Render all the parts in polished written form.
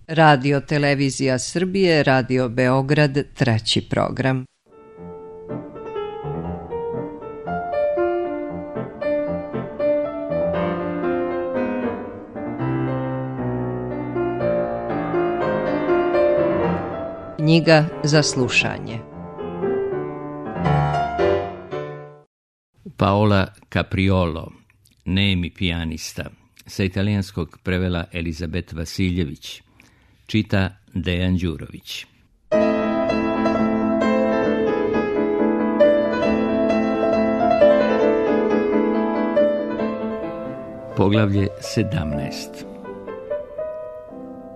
Radio Televizija Srbije, Radio Beograd, 3. program. Knjiga za slušanje. Paola Capriolo, nemi pijanista, sa italijanskog prevela Elizabet Vasiljević, čita Dejan Đurović. Poglavlje 17.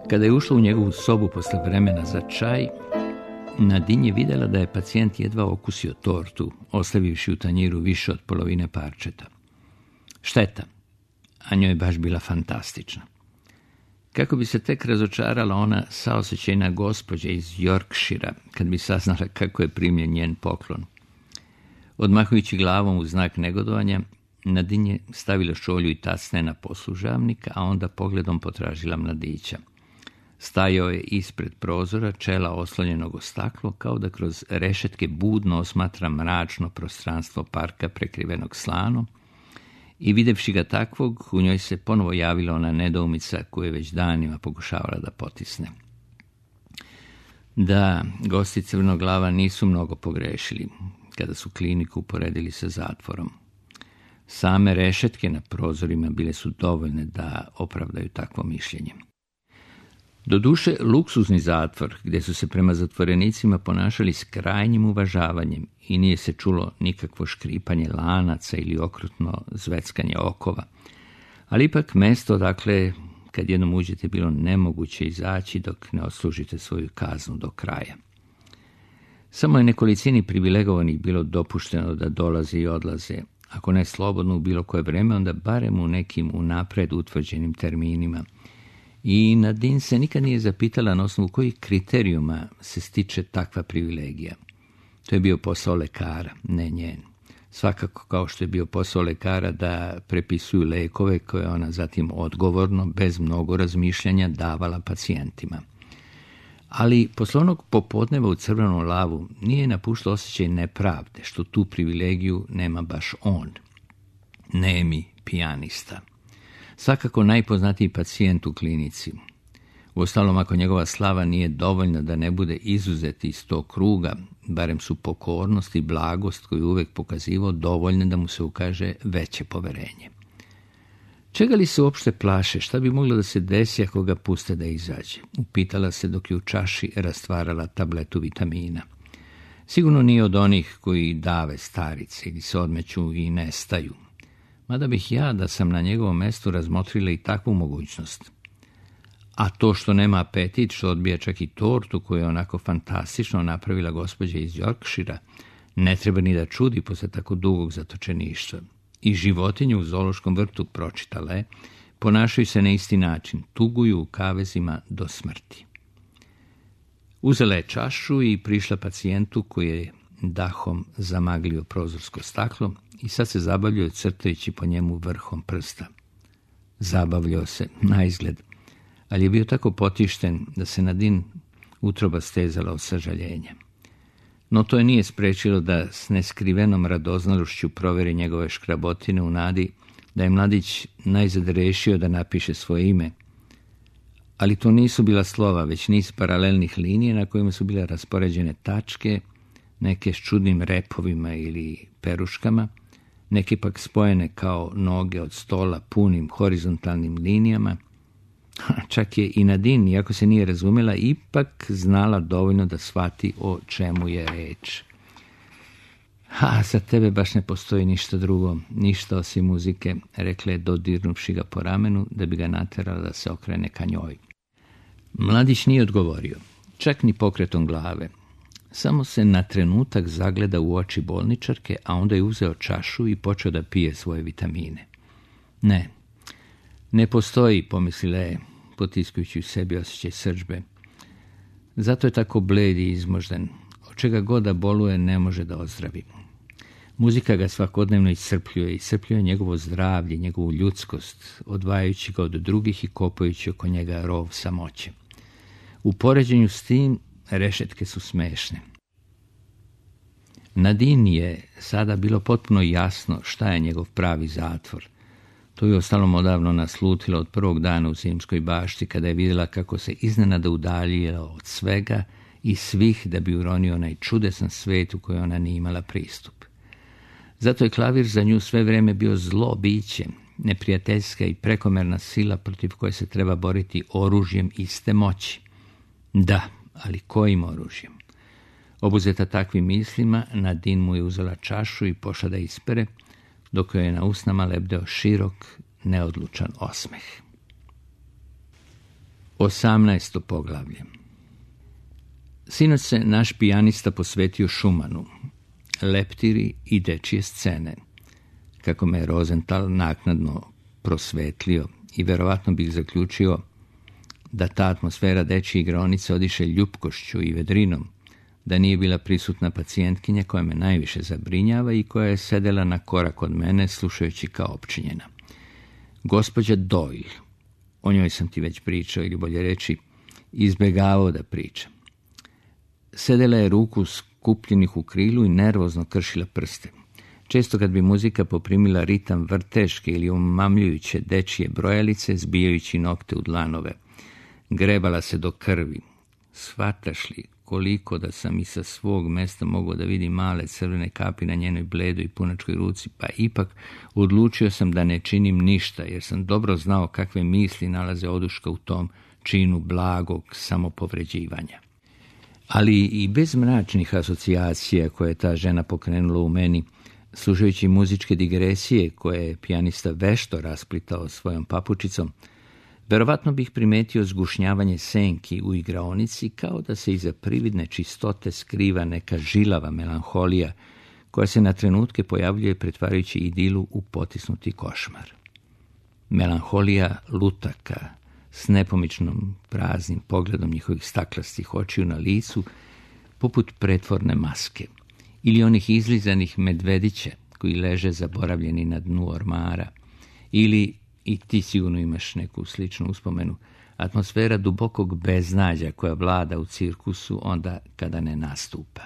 Kada je ušla u njegovu sobu posle vremena za čaj, Nadine je vidjela da je pacijent jedva okusio tortu, ostavivši u tanjiru više od polovine parčeta. Šteta, a njoj je baš bila fantastična. Kako bi se tek razočarala ona saosećajna gospođa iz Yorkshira, kad bi saznala kako je primljen njen poklon. Odmahujući glavom u znak negodovanja, Nadine je stavila šolju i tacne na poslužavnik, a onda pogledom potražila mladića. Stajao je ispred prozora, čela oslonjenog o staklo, kao da kroz rešetke budno osmatra mračno prostranstvo parka prekrivenog slanom, i videvši ga takvog, u njoj se ponovo javila ona nedoumica koju je već danima pokušavala da potisne. Da, gosti Crvenoglava nisu mnogo pogrešili kada su kliniku uporedili sa zatvorom. Same rešetke na prozorima bile su dovoljne da opravdaju takvo mišljenje. Doduše, luksuzni zatvor, gdje su se prema zatvorenicima ponašali s krajnjim uvažavanjem i nije se čulo nikakvo škripanje lanaca ili okrutno zveckanje okova, ali ipak mesto, dakle, kad jednom uđete, bilo nemoguće izaći dok ne odslužite svoju kaznu do kraja. Samo je nekolicini privilegovanih bilo dopušteno da dolaze i odlaze, ako ne slobodno u bilo koje vreme, onda barem u nekim unapred utvrđenim terminima. I Nadine se nikad nije zapitala na osnovu kojih kriterijuma se stiče takva privilegija. To je bio posao lekara, ne njen. Svakako kao što je bio posao lekara da prepisuju lekove koje ona zatim odgovorno, bez mnogo razmišljanja, davala pacijentima. Ali posle onog popodneva u Crvenom lavu nije napuštao osjećaj nepravde, što tu privilegiju nema baš on. Nemi pijanista. Svakako najpoznatiji pacijent u klinici. Uostalom, ako njegova slava nije dovoljna da ne bude izuzet iz tog kruga, barem su pokornost i blagost koju uvek pokazivao dovoljne da mu se ukaže veće poverenje. Čega li se uopšte plaše? Šta bi moglo da se desi ako ga puste da izađe? Upitala se dok je u čaši rastvarala tabletu vitamina. Sigurno nije od onih koji dave starice ili se odmeću i nestaju. Mada bih ja, da sam na njegovom mestu, razmotrila i takvu mogućnost. A to što nema apetit, što odbija čak i tortu koju je onako fantastično napravila gospođa iz Yorkshira, ne treba ni da čudi posle tako dugog zatočeništva. I životinje u zoološkom vrtu, pročitala je, ponašaju se na isti način, tuguju u kavezima do smrti. Uzela je čašu i prišla pacijentu koji je dahom zamaglio prozorsko staklo i sad se zabavljao crtajući po njemu vrhom prsta. Zabavljao se, naizgled, ali je bio tako potišten da se Nadine utroba stezala od sažaljenja. No to je nije sprečilo da s neskrivenom radoznalošću proveri njegove škrabotine u nadi da je mladić najzad rešio da napiše svoje ime. Ali to nisu bila slova, već niz paralelnih linija na kojima su bile raspoređene tačke, neke s čudnim repovima ili peruškama, neke pak spojene kao noge od stola punim horizontalnim linijama. Čak je i Nadine, iako se nije razumela, ipak znala dovoljno da shvati o čemu je reč. Za tebe baš ne postoji ništa drugo, ništa osim muzike, rekla je dodirnuvši ga po ramenu da bi ga naterala da se okrene ka njoj. Mladić nije odgovorio, čak ni pokretom glave. Samo se na trenutak zagleda u oči bolničarke, a onda je uzeo čašu i počeo da pije svoje vitamine. Ne postoji, pomislila je, potiskujući u sebi osjećaj srdžbe. Zato je tako bled i izmožden. Od čega god da boluje ne može da ozdravi. Muzika ga svakodnevno iscrpljuje njegovo zdravlje, njegovu ljudskost, odvajajući ga od drugih i kopajući oko njega rov samoće. U poređenju s tim, rešetke su smešne. Nadine je sada bilo potpuno jasno šta je njegov pravi zatvor. To je ostalom odavno naslutilo od prvog dana u Zimskoj bašti, kada je vidjela kako se iznenada udaljila od svega i svih da bi uronio onaj čudesan svet u koji ona nije imala pristup. Zato je klavir za nju sve vrijeme bio zlo biće, neprijateljska i prekomerna sila protiv koje se treba boriti oružjem iste moći. Da, ali kojim oružjem? Obuzeta takvim mislima, Nadine mu je uzela čašu i pošla da ispere, dok joj je na usnama lebdeo širok, neodlučan osmeh. 18. poglavlje. Sinoć se naš pijanista posvetio Schumanu, leptiri i dečije scene, kako me je Rosenthal naknadno prosvetlio i verovatno bih zaključio da ta atmosfera dečje igraonice odiše ljupkošću i vedrinom, da nije bila prisutna pacijentkinja koja me najviše zabrinjava i koja je sedela na korak od mene slušajući kao opčinjena. Gospođa Doyle, o njoj sam ti već pričao, ili bolje reći, izbegavao da pričam. Sedela je ruku skupljenih u krilu i nervozno kršila prste. Često kad bi muzika poprimila ritam vrteške ili omamljujuće dečije brojalice, zbijajući nokte u dlanove, grebala se do krvi. Shvataš li koliko da sam i sa svog mesta mogao da vidim male crvene kapi na njenoj bledoj i punačkoj ruci, pa ipak odlučio sam da ne činim ništa, jer sam dobro znao kakve misli nalaze oduška u tom činu blagog samopovređivanja. Ali i bez mračnih asocijacija koje je ta žena pokrenula u meni, slušajući muzičke digresije koje je pijanista vešto rasplitao svojom papučicom, verovatno bih primetio zgušnjavanje senki u igraonici, kao da se iza prividne čistote skriva neka žilava melanholija koja se na trenutke pojavljuje pretvarajući idilu u potisnuti košmar. Melanholija lutaka s nepomičnom praznim pogledom njihovih staklastih očiju na licu, poput pretvorne maske, ili onih izlizanih medvedića koji leže zaboravljeni na dnu ormara, ili, i ti sigurno imaš neku sličnu uspomenu, atmosfera dubokog beznađa koja vlada u cirkusu onda kada ne nastupa.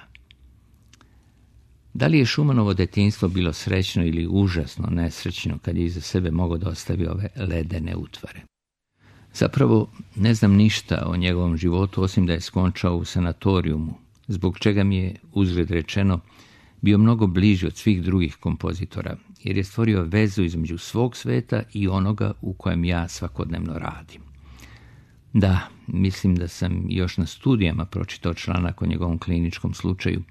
Da li je Schumanovo detinjstvo bilo srećno ili užasno nesrećno kad je iza sebe mogao da ostavi ove ledene utvare? Zapravo ne znam ništa o njegovom životu osim da je skončao u sanatorijumu, zbog čega mi je, uzgled rečeno, bio mnogo bliži od svih drugih kompozitora, jer je stvorio vezu između svog sveta i onoga u kojem ja svakodnevno radim. Da, mislim da sam još na studijama pročitao članak o njegovom kliničkom slučaju,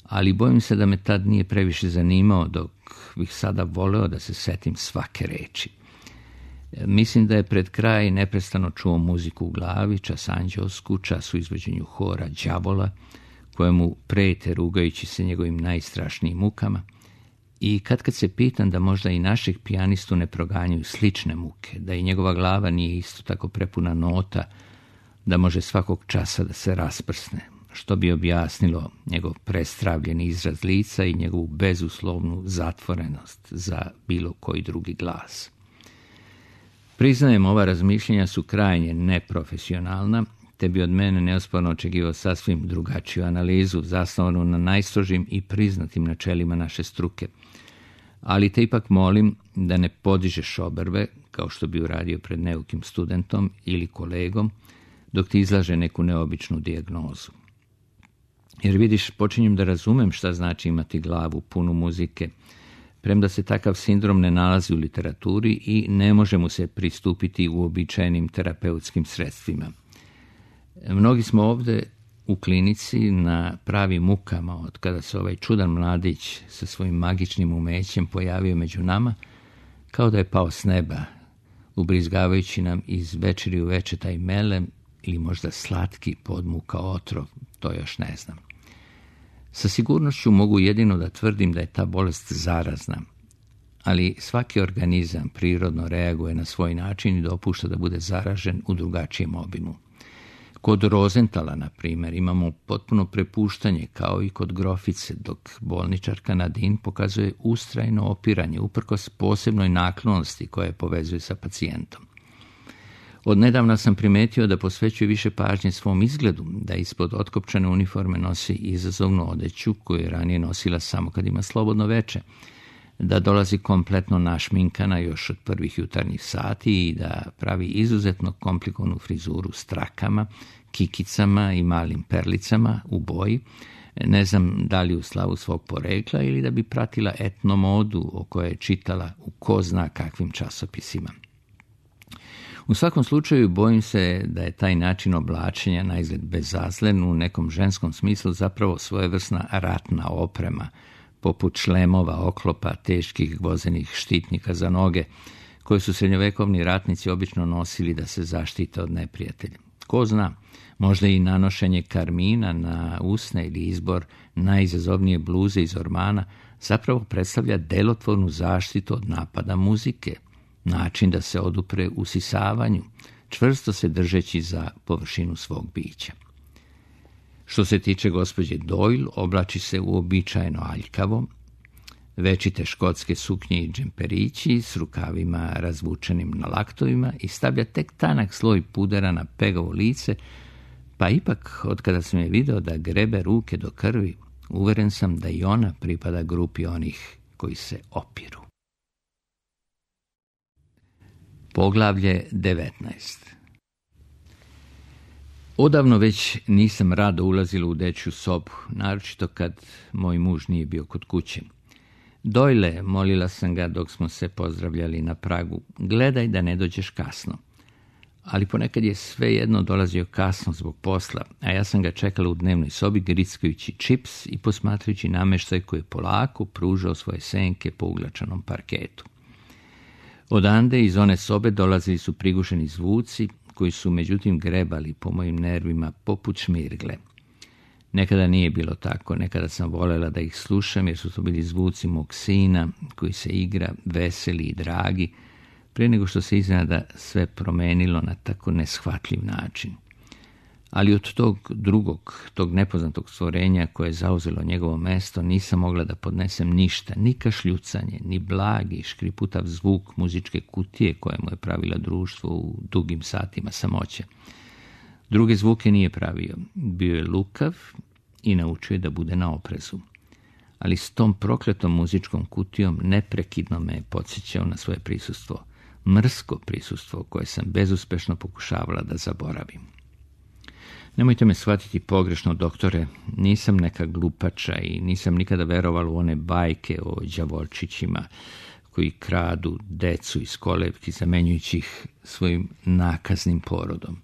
ali bojim se da me tad nije previše zanimao, dok bih sada voleo da se setim svake reči. Mislim da je pred kraj neprestano čuo muziku u glavi, čas anđelsku, čas u izvođenju hora đavola, kojemu prete rugajući se njegovim najstrašnijim mukama, i kad se pitam da možda i našeg pijanistu ne proganjaju slične muke, da i njegova glava nije isto tako prepuna nota, da može svakog časa da se rasprsne, što bi objasnilo njegov prestravljeni izraz lica i njegovu bezuslovnu zatvorenost za bilo koji drugi glas. Priznajem, ova razmišljenja su krajnje neprofesionalna, te bi od mene neosporno očekivao sasvim drugačiju analizu, zasnovanu na najstrožim i priznatim načelima naše struke. Ali te ipak molim da ne podižeš obrve, kao što bi uradio pred neukim studentom ili kolegom, dok ti izlaže neku neobičnu dijagnozu. Jer vidiš, počinjem da razumem šta znači imati glavu punu muzike, premda se takav sindrom ne nalazi u literaturi i ne može mu se pristupiti uobičajenim terapeutskim sredstvima. Mnogi smo ovdje u klinici na pravim mukama od kada se ovaj čudan mladić sa svojim magičnim umećem pojavio među nama, kao da je pao s neba, ubrizgavajući nam iz večeri u veče taj melem ili možda slatki podmuka otrov, to još ne znam. Sa sigurnošću mogu jedino da tvrdim da je ta bolest zarazna, ali svaki organizam prirodno reaguje na svoj način i dopušta da bude zaražen u drugačijem obimu. Kod Rosenthala, na primjer, imamo potpuno prepuštanje, kao i kod grofice, dok bolničarka Nadine pokazuje ustrajno opiranje, uprkos posebnoj naklonosti koja je povezuje sa pacijentom. Odnedavna sam primijetio da posvećuje više pažnje svom izgledu, da ispod otkopčane uniforme nosi izazovnu odeću koju je ranije nosila samo kad ima slobodno veče, da dolazi kompletno našminkana još od prvih jutarnjih sati i da pravi izuzetno komplikovanu frizuru s trakama, kikicama i malim perlicama u boji, ne znam da li u slavu svog porekla ili da bi pratila etnomodu o kojoj je čitala u ko zna kakvim časopisima. U svakom slučaju bojim se da je taj način oblačenja na izgled bezazlen u nekom ženskom smislu zapravo svojevrsna ratna oprema, poput šlemova, oklopa, teških gvozenih štitnika za noge, koje su srednjovekovni ratnici obično nosili da se zaštite od neprijatelja. Ko zna, možda i nanošenje karmina na usne ili izbor najizazovnije bluze iz ormana zapravo predstavlja delotvornu zaštitu od napada muzike, način da se odupre usisavanju, čvrsto se držeći za površinu svog bića. Što se tiče gospođe Doyle, oblači se uobičajeno aljkavo, večite škotske suknje i džemperići s rukavima razvučenim na laktovima i stavlja tek tanak sloj pudera na pegavo lice, pa ipak, od kada sam je video da grebe ruke do krvi, uveren sam da i ona pripada grupi onih koji se opiru. Poglavlje 19. Odavno već nisam rado ulazila u dečju sobu, naročito kad moj muž nije bio kod kuće. Doyle, molila sam ga dok smo se pozdravljali na pragu, gledaj da ne dođeš kasno. Ali ponekad je svejedno dolazio kasno zbog posla, a ja sam ga čekala u dnevnoj sobi grickajući čips i posmatrajući namještaj koji je polako pružao svoje senke po uglačanom parketu. Odande iz one sobe dolazili su prigušeni zvuci koji su međutim grebali po mojim nervima poput šmirgle. Nekada nije bilo tako, nekada sam voljela da ih slušam jer su to bili zvuci mog sina koji se igra veseli i dragi, prije nego što se iznenada sve promenilo na tako neshvatljiv način. Ali od tog nepoznatog stvorenja koje je zauzelo njegovo mesto nisam mogla da podnesem ništa, ni kašljucanje, ni blagi, škriputav zvuk muzičke kutije koje mu je pravila društvo u dugim satima samoće. Druge zvuke nije pravio, bio je lukav i naučio je da bude na oprezu. Ali s tom prokletom muzičkom kutijom neprekidno me je podsjećao na svoje prisustvo, mrsko prisustvo koje sam bezuspešno pokušavala da zaboravim. Nemojte me shvatiti pogrešno, doktore, nisam neka glupača i nisam nikada verovala u one bajke o đavolčićima koji kradu decu iz kolevki zamenjujući ih svojim nakaznim porodom.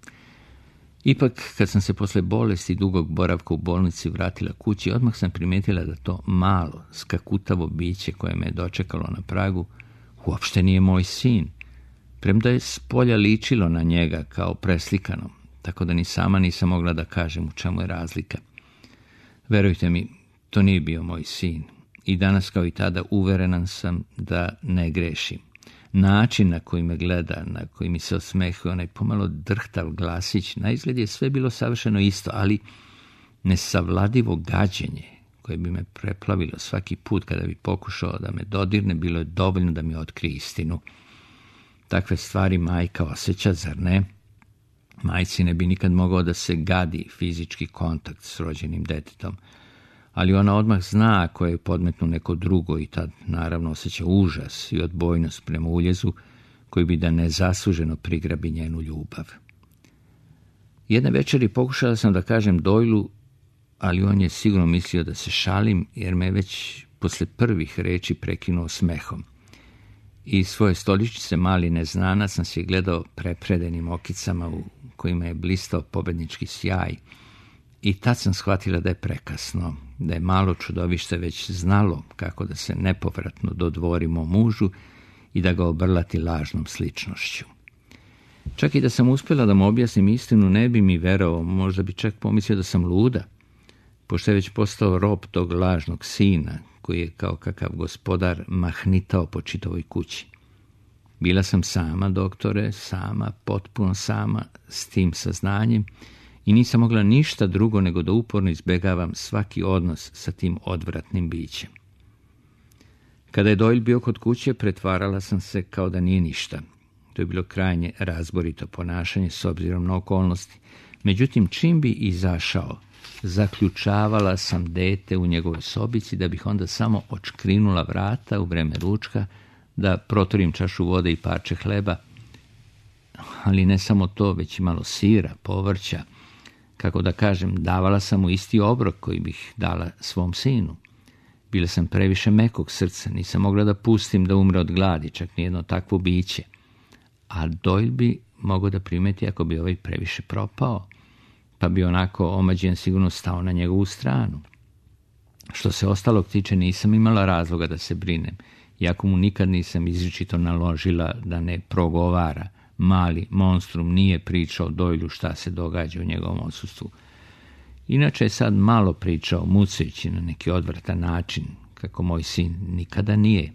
Ipak, kad sam se posle bolesti i dugog boravka u bolnici vratila kući, odmah sam primijetila da to malo, skakutavo biće koje me je dočekalo na pragu uopšte nije moj sin, premda je spolja ličilo na njega kao preslikano, tako da ni sama nisam mogla da kažem u čemu je razlika. Verujte mi, to nije bio moj sin i danas kao i tada uverenan sam da ne grešim. Način na koji me gleda, na koji mi se osmehuje onaj pomalo drhtav glasić, na izgled je sve bilo savršeno isto, ali nesavladivo gađenje koje bi me preplavilo svaki put kada bi pokušao da me dodirne, bilo je dovoljno da mi otkrije istinu. Takve stvari majka osjeća, zar ne? Majci ne bi nikad mogao da se gadi fizički kontakt s rođenim detetom, ali ona odmah zna ako je podmetnu neko drugo i tad naravno osjeća užas i odbojnost prema uljezu koji bi da nezasluženo prigrabi njenu ljubav. Jedne večeri pokušala sam da kažem Doylu, ali on je sigurno mislio da se šalim jer me već posle prvih reči prekinuo smehom. Iz svoje stoličice mali neznana sam se gledao prepredenim okicama u kojima je blistao pobednički sjaj i tad sam shvatila da je prekasno, da je malo čudovište već znalo kako da se nepovratno dodvori mom mužu i da ga obrlati lažnom sličnošću. Čak i da sam uspjela da mu objasnim istinu, ne bi mi verovao, možda bi čak pomislio da sam luda, pošto je već postao rob tog lažnog sina, koji je kao kakav gospodar mahnitao po čitavoj kući. Bila sam sama, doktore, sama, potpuno sama, s tim saznanjem i nisam mogla ništa drugo nego da uporno izbjegavam svaki odnos sa tim odvratnim bićem. Kada je Doyle bio kod kuće, pretvarala sam se kao da nije ništa. To je bilo krajnje razborito ponašanje s obzirom na okolnosti. Međutim, čim bi izašao, zaključavala sam dete u njegovoj sobici da bih onda samo odškrinula vrata u vreme ručka, da protorim čašu vode i parče hleba, ali ne samo to, već i malo sira, povrća. Kako da kažem, davala sam mu isti obrok koji bih dala svom sinu. Bila sam previše mekog srca, nisam mogla da pustim da umre od gladi, čak nijedno takvo biće. A Doyle bi mogao da primeti ako bi ovaj previše propao, pa bi onako omađen sigurno stao na njegovu stranu. Što se ostalog tiče, nisam imala razloga da se brinem, iako mu nikad nisam izričito naložila da ne progovara. Mali monstrum nije pričao Doyleu šta se događa u njegovom odsustvu. Inače je sad malo pričao, mucajući na neki odvratan način, kako moj sin nikada nije.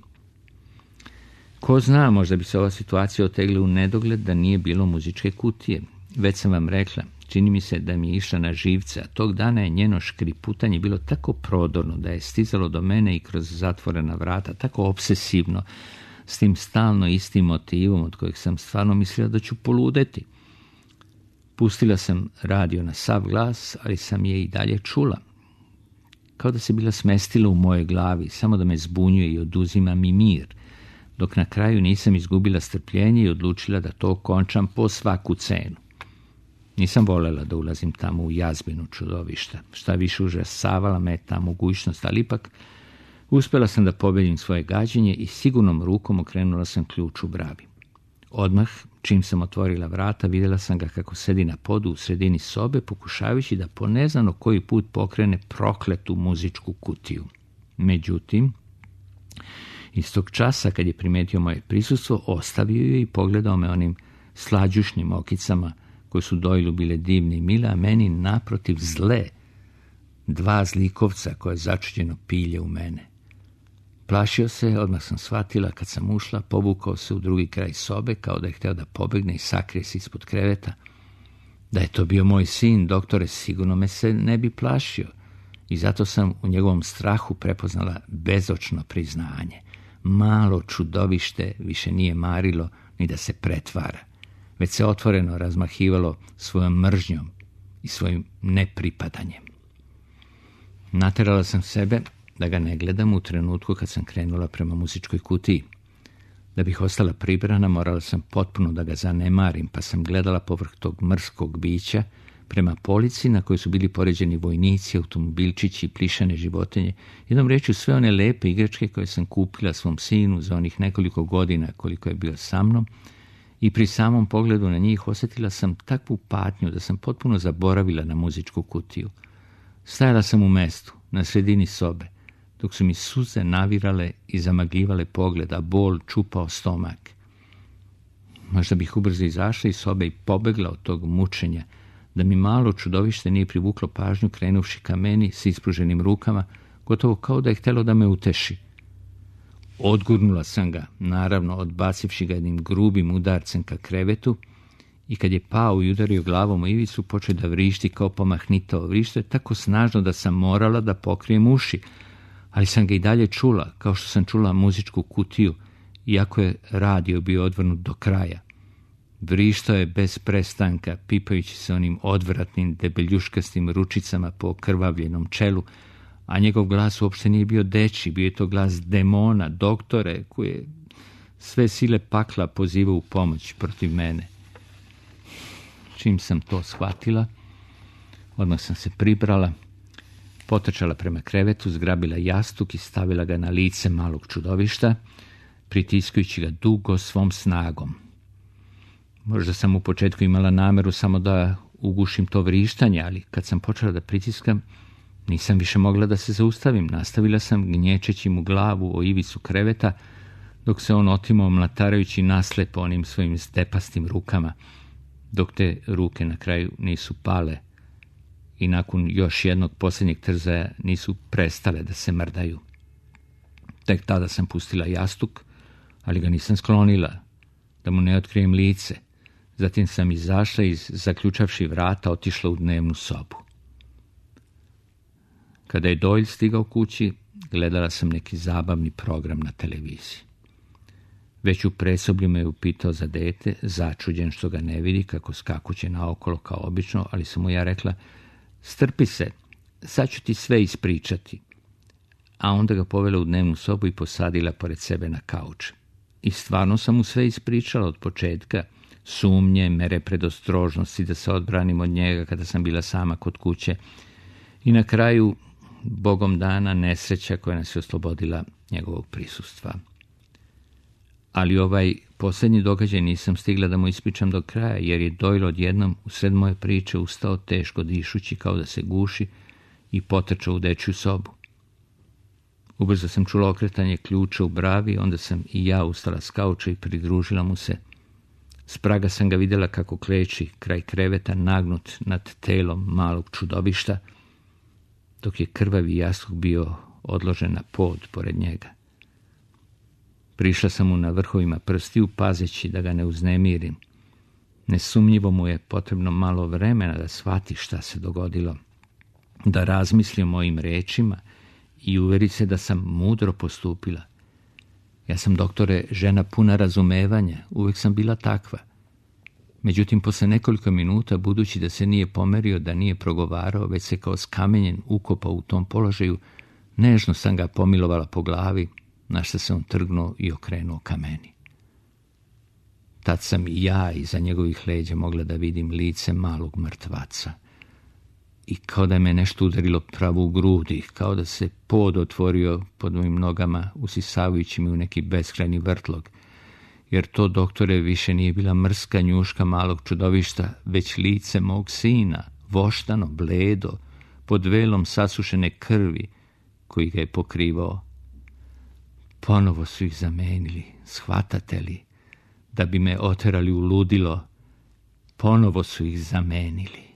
Ko zna, možda bi se ova situacija otegla u nedogled da nije bilo muzičke kutije. Već sam vam rekla, čini mi se da mi je išla na živce, a tog dana je njeno škriputanje bilo tako prodorno da je stizalo do mene i kroz zatvorena vrata, tako obsesivno, s tim stalno istim motivom od kojeg sam stvarno mislila da ću poludeti. Pustila sam radio na sav glas, ali sam je i dalje čula. Kao da se bila smestila u mojoj glavi, samo da me zbunjuje i oduzima mi mir, dok na kraju nisam izgubila strpljenje i odlučila da to končam po svaku cenu. Nisam voljela da ulazim tamo u jazbinu čudovišta. Šta više, užasavala me ta mogućnost, ali ipak uspjela sam da pobedim svoje gađenje i sigurnom rukom okrenula sam ključ u bravi. Odmah, čim sam otvorila vrata, vidjela sam ga kako sedi na podu u sredini sobe, pokušavajući da po neznano koji put pokrene prokletu muzičku kutiju. Međutim, istog časa, kad je primetio moje prisustvo, ostavio je i pogledao me onim slađušnim okicama koje su Doyleu bile divne i mile, a meni naprotiv zle. Dva zlikovca koje začuđeno pilje u mene. Plašio se, odmah sam shvatila kad sam ušla, povukao se u drugi kraj sobe kao da je hteo da pobegne i sakrije se ispod kreveta. Da je to bio moj sin, doktore, sigurno me se ne bi plašio i zato sam u njegovom strahu prepoznala bezočno priznanje. Malo čudovište više nije marilo ni da se pretvara, već se otvoreno razmahivalo svojom mržnjom i svojim nepripadanjem. Naterala sam sebe da ga ne gledam u trenutku kad sam krenula prema muzičkoj kutiji. Da bih ostala pribrana, morala sam potpuno da ga zanemarim, pa sam gledala povrh tog mrskog bića prema polici na kojoj su bili poređeni vojnici, automobilčići i plišane životinje, jednom rečju sve one lepe igračke koje sam kupila svom sinu za onih nekoliko godina koliko je bio sa mnom, i pri samom pogledu na njih osjetila sam takvu patnju da sam potpuno zaboravila na muzičku kutiju. Stajala sam u mestu, na sredini sobe, dok su mi suze navirale i zamagljivale pogled, a bol čupao stomak. Možda bih ubrzo izašla iz sobe i pobegla od tog mučenja, da mi malo čudovište nije privuklo pažnju krenuvši ka meni s ispruženim rukama, gotovo kao da je htjelo da me uteši. Odgurnula sam ga, naravno odbacivši ga jednim grubim udarcem ka krevetu, i kad je pao i udario glavom u ivicu, počeo da vrišti kao pomahnitao. Vrištao je tako snažno da sam morala da pokrijem uši, ali sam ga i dalje čula, kao što sam čula muzičku kutiju, iako je radio bio odvrnut do kraja. Vrištao je bez prestanka, pipajući se onim odvratnim debeljuškastim ručicama po okrvavljenom čelu, a njegov glas uopšte nije bio dečji, bio je to glas demona, doktore, koji je sve sile pakla pozivao u pomoć protiv mene. Čim sam to shvatila, odmah sam se pribrala, potrčala prema krevetu, zgrabila jastuk i stavila ga na lice malog čudovišta, pritiskujući ga dugo svom snagom. Možda sam u početku imala nameru samo da ugušim to vrištanje, ali kad sam počela da pritiskam, nisam više mogla da se zaustavim. Nastavila sam gnječeći mu glavu o ivicu kreveta, dok se on otimao mlatarajući naslepo onim svojim stepastim rukama, dok te ruke na kraju nisu pale i nakon još jednog posljednjeg trzaja nisu prestale da se mrdaju. Tek tada sam pustila jastuk, ali ga nisam sklonila, da mu ne otkrijem lice. Zatim sam izašla i, zaključavši vrata, otišla u dnevnu sobu. Kada je Doyle stigao kući, gledala sam neki zabavni program na televiziji. Već u presoblju me je upitao za dete, začuđen što ga ne vidi, kako skakuće naokolo kao obično, ali sam mu ja rekla, strpi se, sad ću ti sve ispričati. A onda ga povela u dnevnu sobu i posadila pored sebe na kauč. I stvarno sam mu sve ispričala od početka, sumnje, mere predostrožnosti da se odbranim od njega kada sam bila sama kod kuće i na kraju, Bogom dana, nesreća koja nas je oslobodila njegovog prisustva. Ali ovaj posljednji događaj nisam stigla da mu ispričam do kraja, jer je Doyle odjednom usred moje priče ustao teško dišući kao da se guši i potrčao u dečju sobu. Ubrzo sam čula okretanje ključa u bravi, onda sam i ja ustala s kauča i pridružila mu se. S praga sam ga vidjela kako kleči kraj kreveta nagnut nad telom malog čudovišta, dok je krvavi jastuk bio odložen na pod pored njega. Prišla sam mu na vrhovima prstiju, pazeći da ga ne uznemirim. Nesumnjivo mu je potrebno malo vremena da shvati šta se dogodilo, da razmisli o mojim rečima i uveri se da sam mudro postupila. Ja sam, doktore, žena puna razumevanja, uvijek sam bila takva. Međutim, posle nekoliko minuta, budući da se nije pomerio, da nije progovarao, već se kao skamenjen ukopao u tom položaju, nežno sam ga pomilovala po glavi, na što se on trgnuo i okrenuo ka meni. Tad sam i ja iza njegovih leđa mogla da vidim lice malog mrtvaca. I kao da me nešto udarilo pravo u grudi, kao da se pod otvorio pod mojim nogama, usisavajući mi u neki beskrajni vrtlog, jer to, doktore, više nije bila mrska njuška malog čudovišta, već lice mog sina, voštano, bledo, pod velom sasušene krvi koji ga je pokrivao. Ponovo su ih zamenili, shvatate li, da bi me oterali u ludilo, ponovo su ih zamenili.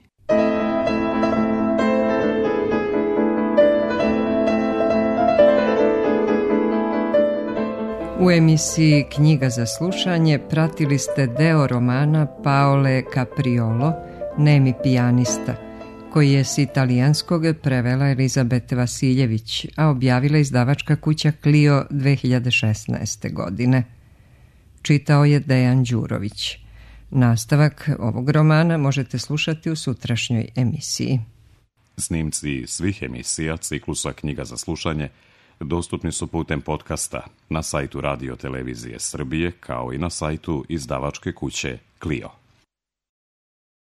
U emisiji Knjiga za slušanje pratili ste deo romana Paole Capriolo, Nemi pijanista, koji je s italijanskog prevela Elizabete Vasiljević, a objavila izdavačka kuća Clio 2016. godine. Čitao je Dejan Đurović. Nastavak ovog romana možete slušati u sutrašnjoj emisiji. Snimci svih emisija ciklusa Knjiga za slušanje dostupni su putem podcasta na sajtu Radio Televizije Srbije, kao i na sajtu izdavačke kuće Clio.